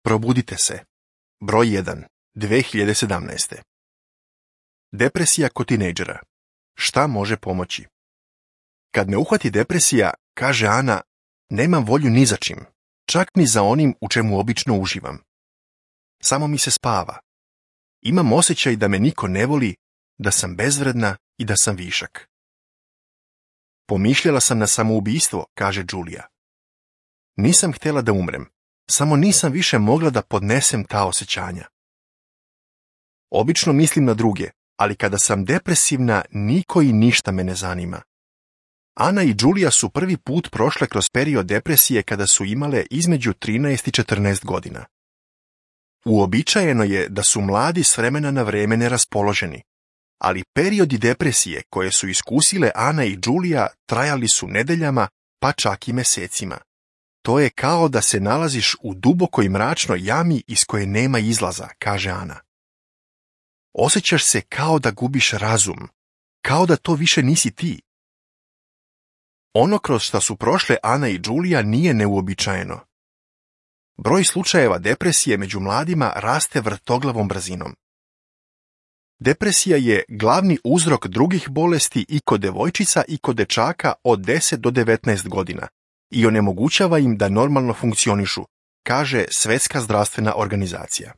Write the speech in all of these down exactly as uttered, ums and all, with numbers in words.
Probudite se. Broj jedan. dve hiljade sedamnaeste. Depresija kod tinejdžera. Šta može pomoći? Kad me uhvati depresija, kaže Ana, nemam volju ni za čim, čak ni za onim u čemu obično uživam. Samo mi se spava. Imam osjećaj da me niko ne voli, da sam bezvredna i da sam višak. Pomišljala sam na samoubistvo, kaže Julia. Nisam htjela da umrem, samo nisam više mogla da podnesem ta osjećanja. Obično mislim na druge, ali kada sam depresivna, niko i ništa me ne zanima. Ana i Julia su prvi put prošle kroz period depresije kada su imale između trinaest i četrnaest godina. Uobičajeno je da su mladi s vremena na vreme neraspoloženi, ali periodi depresije koje su iskusile Ana i Julia trajali su nedeljama, pa čak i mesecima. To je kao da se nalaziš u dubokoj mračnoj jami iz koje nema izlaza, kaže Ana. Osjećaš se kao da gubiš razum, kao da to više nisi ti. Ono kroz što su prošle Ana i Julia nije neuobičajeno. Broj slučajeva depresije među mladima raste vrtoglavom brzinom. Depresija je glavni uzrok drugih bolesti i kod devojčica i kod dečaka od deset do devetnaest godina i onemogućava im da normalno funkcionišu, kaže Svjetska zdravstvena organizacija.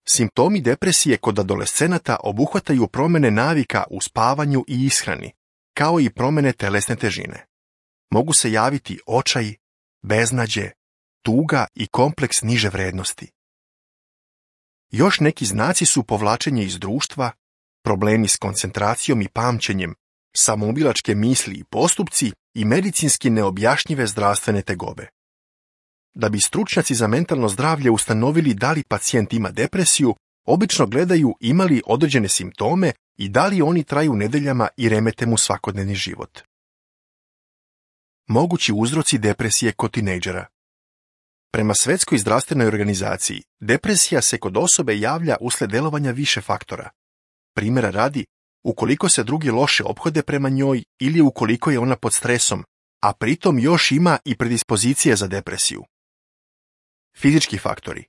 Simptomi depresije kod adolescenata obuhvataju promjene navika u spavanju i ishrani, kao i promjene telesne težine. Mogu se javiti očaj, beznađe, tuga i kompleks niže vrednosti. Još neki znaci su povlačenje iz društva, problemi s koncentracijom i pamćenjem, samoubilačke misli i postupci i medicinski neobjašnjive zdravstvene tegobe. Da bi stručnjaci za mentalno zdravlje ustanovili da li pacijent ima depresiju, obično gledaju ima li određene simptome i da li oni traju nedeljama i remete mu svakodnevni život. Mogući uzroci depresije kod tinejdžera. Prema Svjetskoj zdravstvenoj organizaciji, depresija se kod osobe javlja usled delovanja više faktora. Primjera radi, ukoliko se drugi loše ophode prema njoj ili ukoliko je ona pod stresom, a pritom još ima i predispozicije za depresiju. Fizički faktori.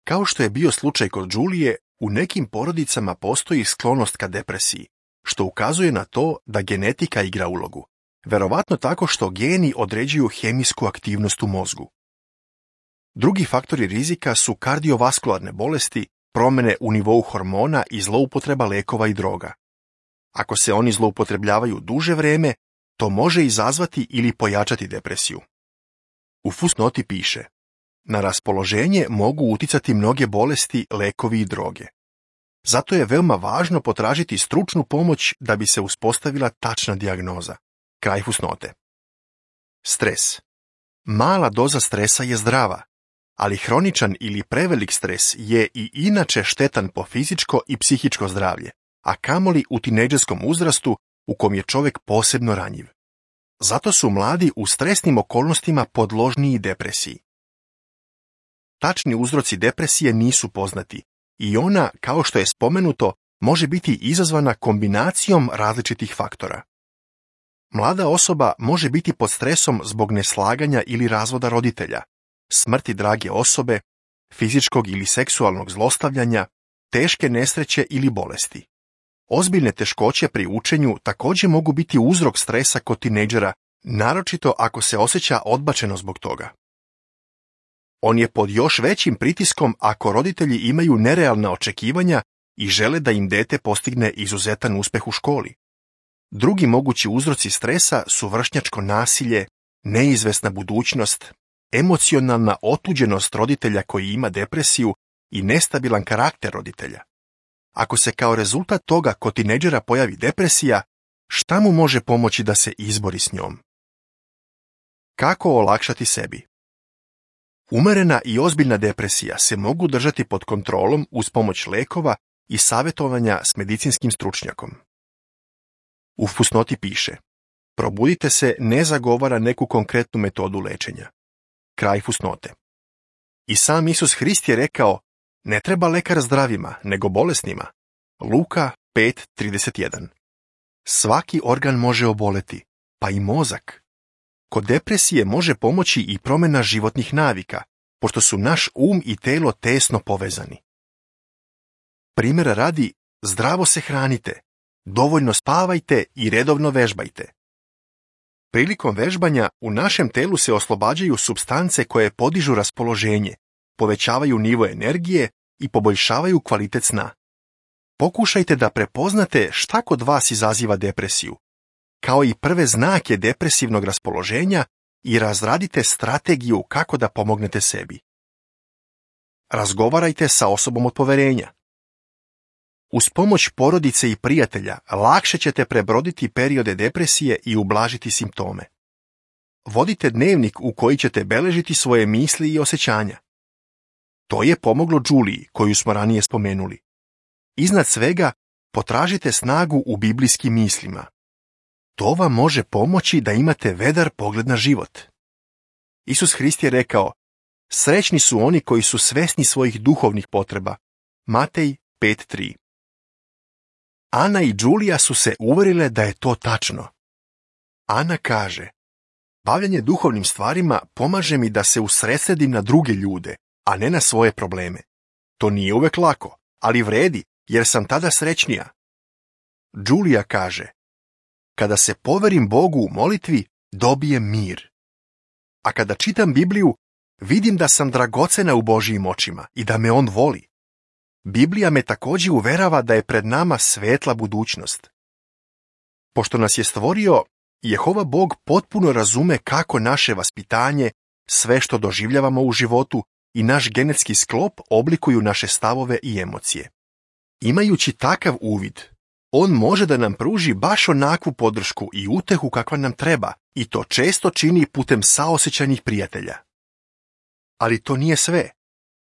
Kao što je bio slučaj kod Julije, u nekim porodicama postoji sklonost ka depresiji, što ukazuje na to da genetika igra ulogu, verovatno tako što geni određuju hemijsku aktivnost u mozgu. Drugi faktori rizika su kardiovaskularne bolesti, promjene u nivou hormona i zloupotreba lekova i droga. Ako se oni zloupotrebljavaju duže vrijeme, to može izazvati ili pojačati depresiju. U fusnoti piše: na raspoloženje mogu uticati mnoge bolesti, lekovi i droge. Zato je veoma važno potražiti stručnu pomoć da bi se uspostavila tačna dijagnoza. Kraj fusnote. Stres. Mala doza stresa je zdrava, ali hroničan ili prevelik stres je i inače štetan po fizičko i psihičko zdravlje, a kamoli u tinejdžerskom uzrastu u kom je čovjek posebno ranjiv. Zato su mladi u stresnim okolnostima podložniji depresiji. Tačni uzroci depresije nisu poznati i ona, kao što je spomenuto, može biti izazvana kombinacijom različitih faktora. Mlada osoba može biti pod stresom zbog neslaganja ili razvoda roditelja, smrti drage osobe, fizičkog ili seksualnog zlostavljanja, teške nesreće ili bolesti. Ozbiljne teškoće pri učenju također mogu biti uzrok stresa kod tinejdžera, naročito ako se osjeća odbačeno zbog toga. On je pod još većim pritiskom ako roditelji imaju nerealna očekivanja i žele da im dete postigne izuzetan uspjeh u školi. Drugi mogući uzroci stresa su vršnjačko nasilje, neizvesna budućnost, emocionalna otuđenost roditelja koji ima depresiju i nestabilan karakter roditelja. Ako se kao rezultat toga kod tinejdžera pojavi depresija, šta mu može pomoći da se izbori s njom? Kako olakšati sebi? Umerena i ozbiljna depresija se mogu držati pod kontrolom uz pomoć lekova i savjetovanja s medicinskim stručnjakom. U fusnoti piše: probudite se ne zagovara neku konkretnu metodu lečenja. Kraj fusnote. I sam Isus Hrist je rekao: ne treba lekar zdravima, nego bolesnima. Luka pet trideset jedan. Svaki organ može oboleti, pa i mozak. Kod depresije može pomoći i promjena životnih navika, pošto su naš um i telo tesno povezani. Primjera radi, zdravo se hranite, dovoljno spavajte i redovno vežbajte. Prilikom vežbanja u našem telu se oslobađaju supstance koje podižu raspoloženje, povećavaju nivo energije i poboljšavaju kvalitet sna. Pokušajte da prepoznate šta kod vas izaziva depresiju, kao i prve znake depresivnog raspoloženja i razradite strategiju kako da pomognete sebi. Razgovarajte sa osobom od poverenja. Uz pomoć porodice i prijatelja lakše ćete prebroditi periode depresije i ublažiti simptome. Vodite dnevnik u koji ćete beležiti svoje misli i osjećanja. To je pomoglo Juliji, koju smo ranije spomenuli. Iznad svega, potražite snagu u biblijskim mislima. To vam može pomoći da imate vedar pogled na život. Isus Hrist je rekao, srećni su oni koji su svesni svojih duhovnih potreba. Matej pet tri. Ana i Julija su se uverile da je to tačno. Ana kaže, bavljanje duhovnim stvarima pomaže mi da se usredsredim na druge ljude, a ne na svoje probleme. To nije uvek lako, ali vredi, jer sam tada srećnija. Julija kaže, kada se poverim Bogu u molitvi, dobijem mir. A kada čitam Bibliju, vidim da sam dragocena u Božijim očima i da me On voli. Biblija me također uverava da je pred nama svetla budućnost. Pošto nas je stvorio, Jehova Bog potpuno razume kako naše vaspitanje, sve što doživljavamo u životu i naš genetski sklop oblikuju naše stavove i emocije. Imajući takav uvid, On može da nam pruži baš onakvu podršku i utehu kakva nam treba, i to često čini putem saosećajnih prijatelja. Ali to nije sve.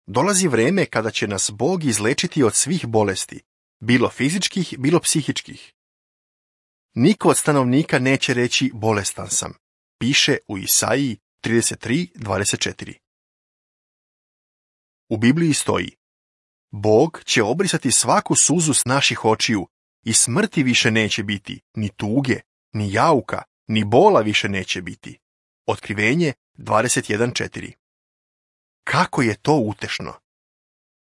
Dolazi vreme kada će nas Bog izlečiti od svih bolesti, bilo fizičkih, bilo psihičkih. Niko od stanovnika neće reći bolestan sam, piše u Isaiji trideset tri dvadeset četiri. U Bibliji stoji, Bog će obrisati svaku suzu s naših očiju i smrti više neće biti, ni tuge, ni jauka, ni bola više neće biti. Otkrivenje dvadeset jedan četiri. Kako je to utešno!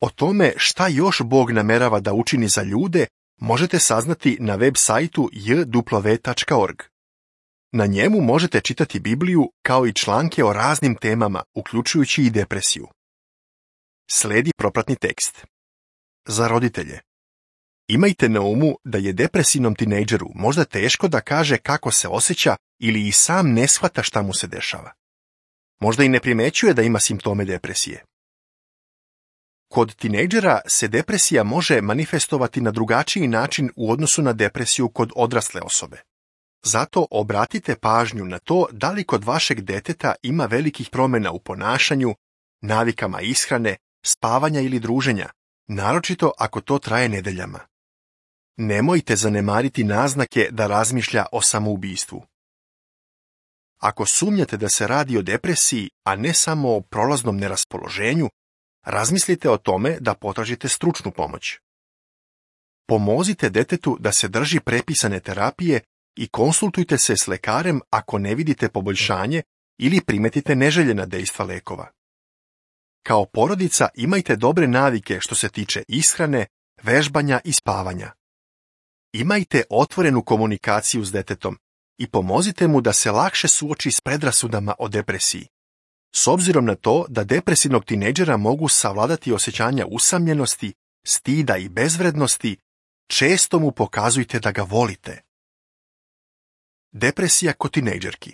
O tome šta još Bog namerava da učini za ljude možete saznati na web sajtu j w tačka org. Na njemu možete čitati Bibliju kao i članke o raznim temama, uključujući i depresiju. Sledi propratni tekst. Za roditelje. Imajte na umu da je depresivnom tinejdžeru možda teško da kaže kako se osjeća ili i sam ne shvata šta mu se dešava. Možda i ne primećuje da ima simptome depresije. Kod tinejdžera se depresija može manifestovati na drugačiji način u odnosu na depresiju kod odrasle osobe. Zato obratite pažnju na to da li kod vašeg deteta ima velikih promjena u ponašanju, navikama ishrane, spavanja ili druženja, naročito ako to traje nedeljama. Nemojte zanemariti naznake da razmišlja o samoubistvu. Ako sumnjate da se radi o depresiji, a ne samo o prolaznom neraspoloženju, razmislite o tome da potražite stručnu pomoć. Pomozite detetu da se drži prepisane terapije i konsultujte se s lekarem ako ne vidite poboljšanje ili primetite neželjena dejstva lekova. Kao porodica imajte dobre navike što se tiče ishrane, vežbanja i spavanja. Imajte otvorenu komunikaciju s detetom i pomozite mu da se lakše suoči s predrasudama o depresiji. S obzirom na to da depresivnog tinejdžera mogu savladati osjećanja usamljenosti, stida i bezvrednosti, često mu pokazujte da ga volite. Depresija kod tinejdžerki.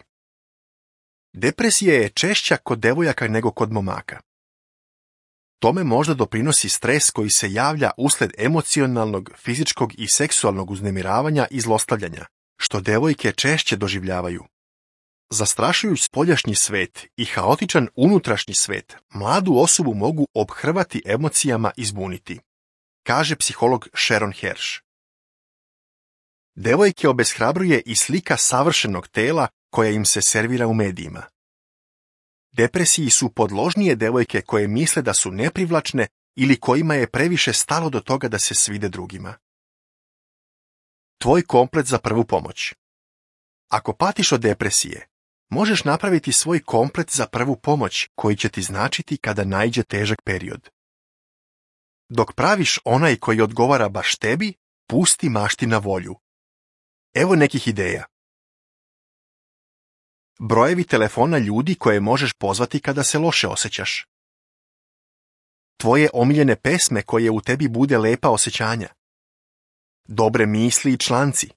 Depresija je češća kod devojaka nego kod momaka. Tome možda doprinosi stres koji se javlja usled emocionalnog, fizičkog i seksualnog uznemiravanja i zlostavljanja, što devojke češće doživljavaju. Zastrašujući spoljašnji svet i haotičan unutrašnji svet mladu osobu mogu ophrvati emocijama i zbuniti, kaže psiholog Sharon Hersh. Devojke obeshrabruje i slika savršenog tela koja im se servira u medijima. Depresiji su podložnije devojke koje misle da su neprivlačne ili kojima je previše stalo do toga da se svide drugima. Tvoj komplet za prvu pomoć. Ako patiš od depresije, možeš napraviti svoj komplet za prvu pomoć koji će ti značiti kada naiđe težak period. Dok praviš onaj koji odgovara baš tebi, pusti mašti na volju. Evo nekih ideja. Brojevi telefona ljudi koje možeš pozvati kada se loše osjećaš. Tvoje omiljene pesme koje u tebi bude lepa osjećanja. Dobre misli i članci.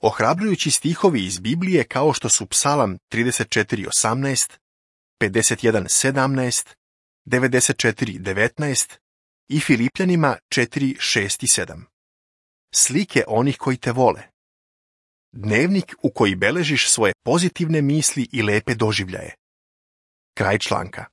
Ohrabrujući stihovi iz Biblije kao što su Psalam trideset četiri osamnaest, pedeset jedan sedamnaest, devedeset četiri devetnaest i Filipljanima četiri šest i sedam. Slike onih koji te vole. Dnevnik u koji beležiš svoje pozitivne misli i lepe doživljaje. Kraj članka.